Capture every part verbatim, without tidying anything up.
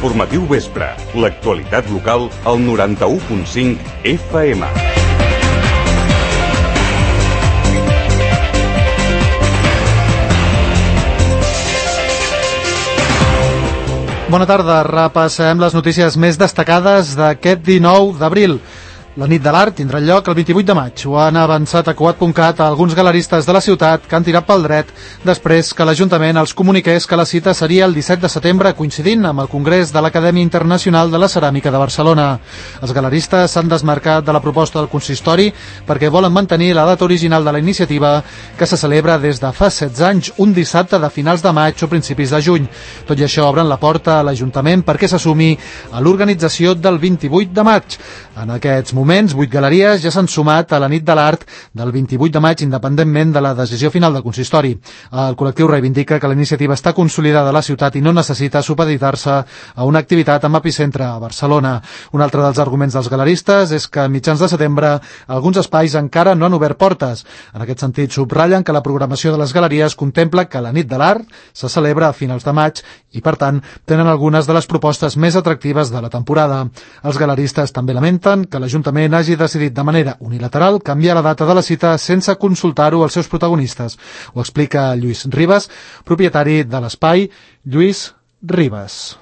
Informatiu Vespre. L'actualitat local al noranta-u punt cinc F M. Bona tarda, repassem les notícies més destacades d'aquest dinou d'abril. La nit de l'art tindrà lloc el vint-i-vuit de maig. Ho han avançat a Cugat punt cat a alguns galeristes de la ciutat que han tirat pel dret després que l'Ajuntament els comuniqués que la cita seria el disset de setembre, coincidint amb el Congrés de l'Acadèmia Internacional de la Ceràmica de Barcelona. Els galeristes s'han desmarcat de la proposta del consistori perquè volen mantenir la data original de la iniciativa, que se celebra des de fa setze anys, un dissabte de finals de maig o principis de juny. Tot i això, obren la porta a l'Ajuntament perquè s'assumi a l'organització del vint-i-vuit de maig. En aquests moments, vuit galeries ja s'han sumat a la nit de l'art del vint-i-vuit de maig, independentment de la decisió final del consistori. El col·lectiu reivindica que la iniciativa està consolidada a la ciutat i no necessita supeditar-se a una activitat amb epicentre a Barcelona. Un altre dels arguments dels galeristes és que a mitjans de setembre alguns espais encara no han obert portes. En aquest sentit, subratllen que la programació de les galeries contempla que la nit de l'art se celebra a finals de maig i, per tant, tenen algunes de les propostes més atractives de la temporada. Els galeristes també lamenten que l'Ajuntament hagi decidit de manera unilateral canviar la data de la cita sense consultar-ho als seus protagonistes. Ho explica Lluís Ribas, propietari de l'espai. Lluís Ribas.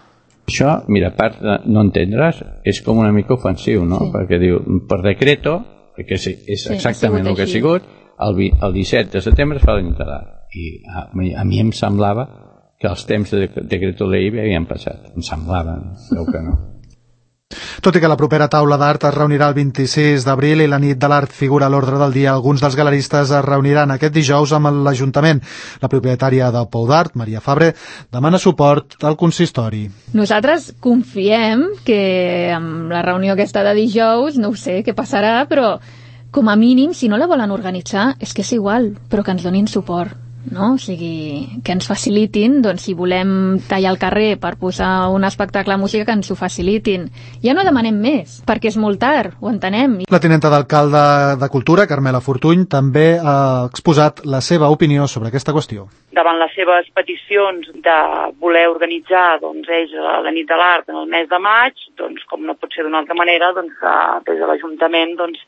Això, mira, a part de no entendre's, és com una mica ofensiu, no? Sí. Perquè diu, per decreto, perquè és exactament sí, el que ha sigut, el, el disset de setembre es fa la nit de l'art. I a, a mi em semblava que els temps de decreto ley havien passat. Em semblava, creu que no. Tot i que la propera taula d'art es reunirà el vint-i-sis d'abril i la nit de l'art figura a l'ordre del dia, alguns dels galeristes es reuniran aquest dijous amb l'Ajuntament. La propietària del Pou d'Art, Maria Fabre, demana suport al consistori. Nosaltres confiem que amb la reunió aquesta de dijous, no ho sé què passarà, però com a mínim, si no la volen organitzar, és que és igual, però que ens donin suport. No? O sigui, que ens facilitin, doncs si volem tallar el carrer per posar un espectacle de música, que ens ho facilitin. Ja no demanem més, perquè és molt tard, ho entenem. La tinenta d'alcalde de Cultura, Carmela Fortuny, també ha exposat la seva opinió sobre aquesta qüestió. Davant les seves peticions de voler organitzar doncs, ells la nit de l'art en el mes de maig, doncs com no pot ser d'una altra manera, doncs des de l'Ajuntament doncs,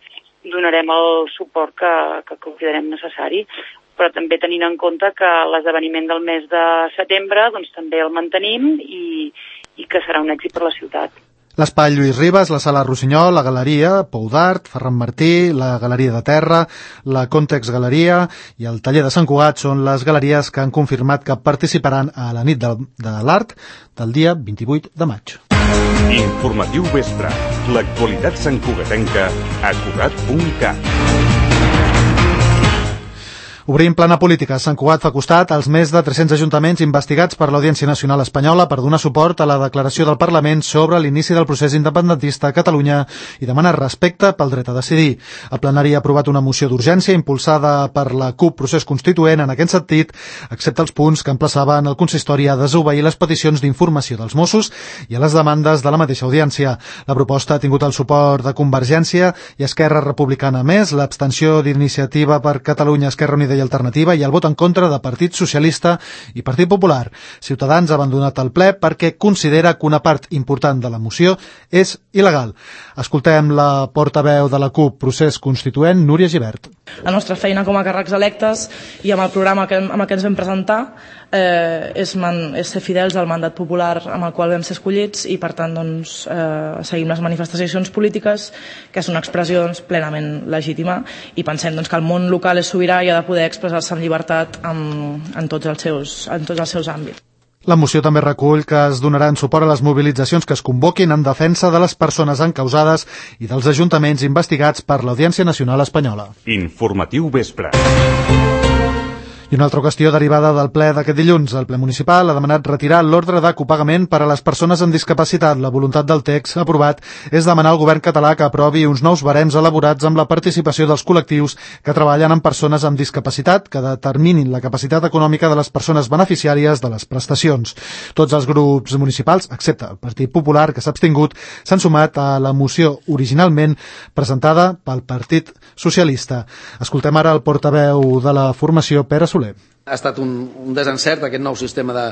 donarem el suport que, que considerem necessari, però també tenint en compte que l'esdeveniment del mes de setembre doncs, també el mantenim i, i que serà un èxit per la ciutat. L'espai Lluís Ribas, la sala Rossinyol, la galeria Pou d'Art, Ferran Martí, la galeria de Terra, la Context Galeria i el taller de Sant Cugat són les galeries que han confirmat que participaran a la nit de, de l'art del dia vint-i-vuit de maig. Informatiu Vespre. L'actualitat santcugatenca a Cugat punt cat. Obrim plana política. Sant Cugat fa costat als més de tres-cents ajuntaments investigats per l'Audiència Nacional Espanyola per donar suport a la declaració del Parlament sobre l'inici del procés independentista a Catalunya i demana respecte pel dret a decidir. El plenari ha aprovat una moció d'urgència impulsada per la CUP Procés Constituent en aquest sentit, excepte els punts que emplaçaven el consistori a desobeir les peticions d'informació dels Mossos i a les demandes de la mateixa audiència. La proposta ha tingut el suport de Convergència i Esquerra Republicana. Més, l'abstenció d'Iniciativa per Catalunya, Esquerra Unida i Alternativa i el vot en contra de Partit Socialista i Partit Popular. Ciutadans ha abandonat el ple perquè considera que una part important de la moció és il·legal. Escoltem la portaveu de la CUP Procés Constituent, Núria Gibert. La nostra feina com a càrrecs electes i amb el programa que, amb el que ens vam presentar eh, és, man, és ser fidels al mandat popular amb el qual vam ser escollits i per tant doncs, eh, seguim les manifestacions polítiques, que és una expressió doncs, plenament legítima i pensem doncs, que el món local és sobirà i ha de poder expressar-se amb llibertat en, en, tots els seus, en tots els seus àmbits. La moció també recull que es donaran suport a les mobilitzacions que es convoquin en defensa de les persones encausades i dels ajuntaments investigats per l'Audiència Nacional Espanyola. Informatiu Vespre. I una altra qüestió derivada del ple d'aquest dilluns. El ple municipal ha demanat retirar l'ordre de copagament per a les persones amb discapacitat. La voluntat del text aprovat és demanar al govern català que aprovi uns nous barems elaborats amb la participació dels col·lectius que treballen amb persones amb discapacitat que determinin la capacitat econòmica de les persones beneficiàries de les prestacions. Tots els grups municipals, excepte el Partit Popular, que s'ha abstingut, s'han sumat a la moció originalment presentada pel Partit Socialista. Escoltem ara el portaveu de la formació, Pere Soler. Ha estat un, un desencert aquest nou sistema de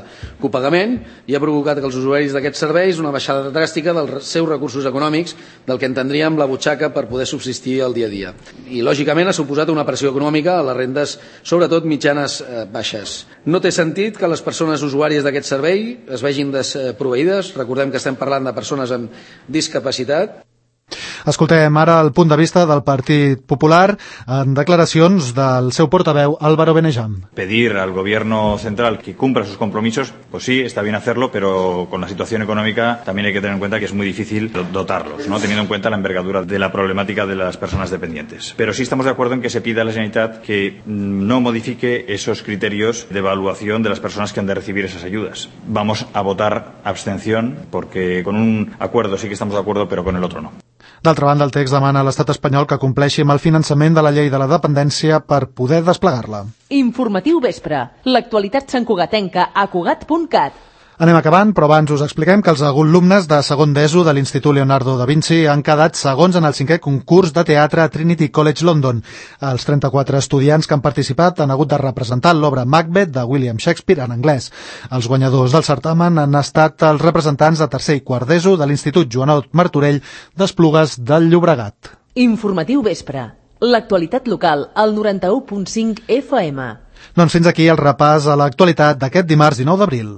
copagament i ha provocat que els usuaris d'aquests serveis una baixada dràstica dels seus recursos econòmics del que entendríem la butxaca per poder subsistir el dia a dia. I, lògicament, ha suposat una pressió econòmica a les rendes, sobretot mitjanes eh, baixes. No té sentit que les persones usuàries d'aquest servei es vegin desproveïdes. Recordem que estem parlant de persones amb discapacitat. Escoltem ara el punt de vista del Partit Popular en declaracions del seu portaveu Álvaro Benejam. Pedir al gobierno central que cumpla sus compromisos, pues sí, está bien hacerlo, pero con la situación económica también hay que tener en cuenta que es muy difícil dotarlos, ¿no? Teniendo en cuenta la envergadura de la problemática de las personas dependientes. Pero sí estamos de acuerdo en que se pida a la Generalitat que no modifique esos criterios de evaluación de las personas que han de recibir esas ayudas. Vamos a votar abstención porque con un acuerdo sí que estamos de acuerdo, pero con el otro no. D'altra banda, el text demana a l'estat espanyol que compleixi amb el finançament de la llei de la dependència per poder desplegar-la. Informatiu vespre. L'actualitat santcugatenca a cugat punt cat. Anem acabant, però abans us expliquem que els alumnes de segon d'ESO de l'Institut Leonardo da Vinci han quedat segons en el cinquè concurs de teatre a Trinity College London. Els trenta-quatre estudiants que han participat han hagut de representar l'obra Macbeth de William Shakespeare en anglès. Els guanyadors del certamen han estat els representants de tercer i quart d'ESO de l'Institut Joanot Martorell d'Esplugues del Llobregat. Informatiu vespre. L'actualitat local al noranta-u punt cinc F M. Doncs fins aquí el repàs a l'actualitat d'aquest dimarts dinou d'abril.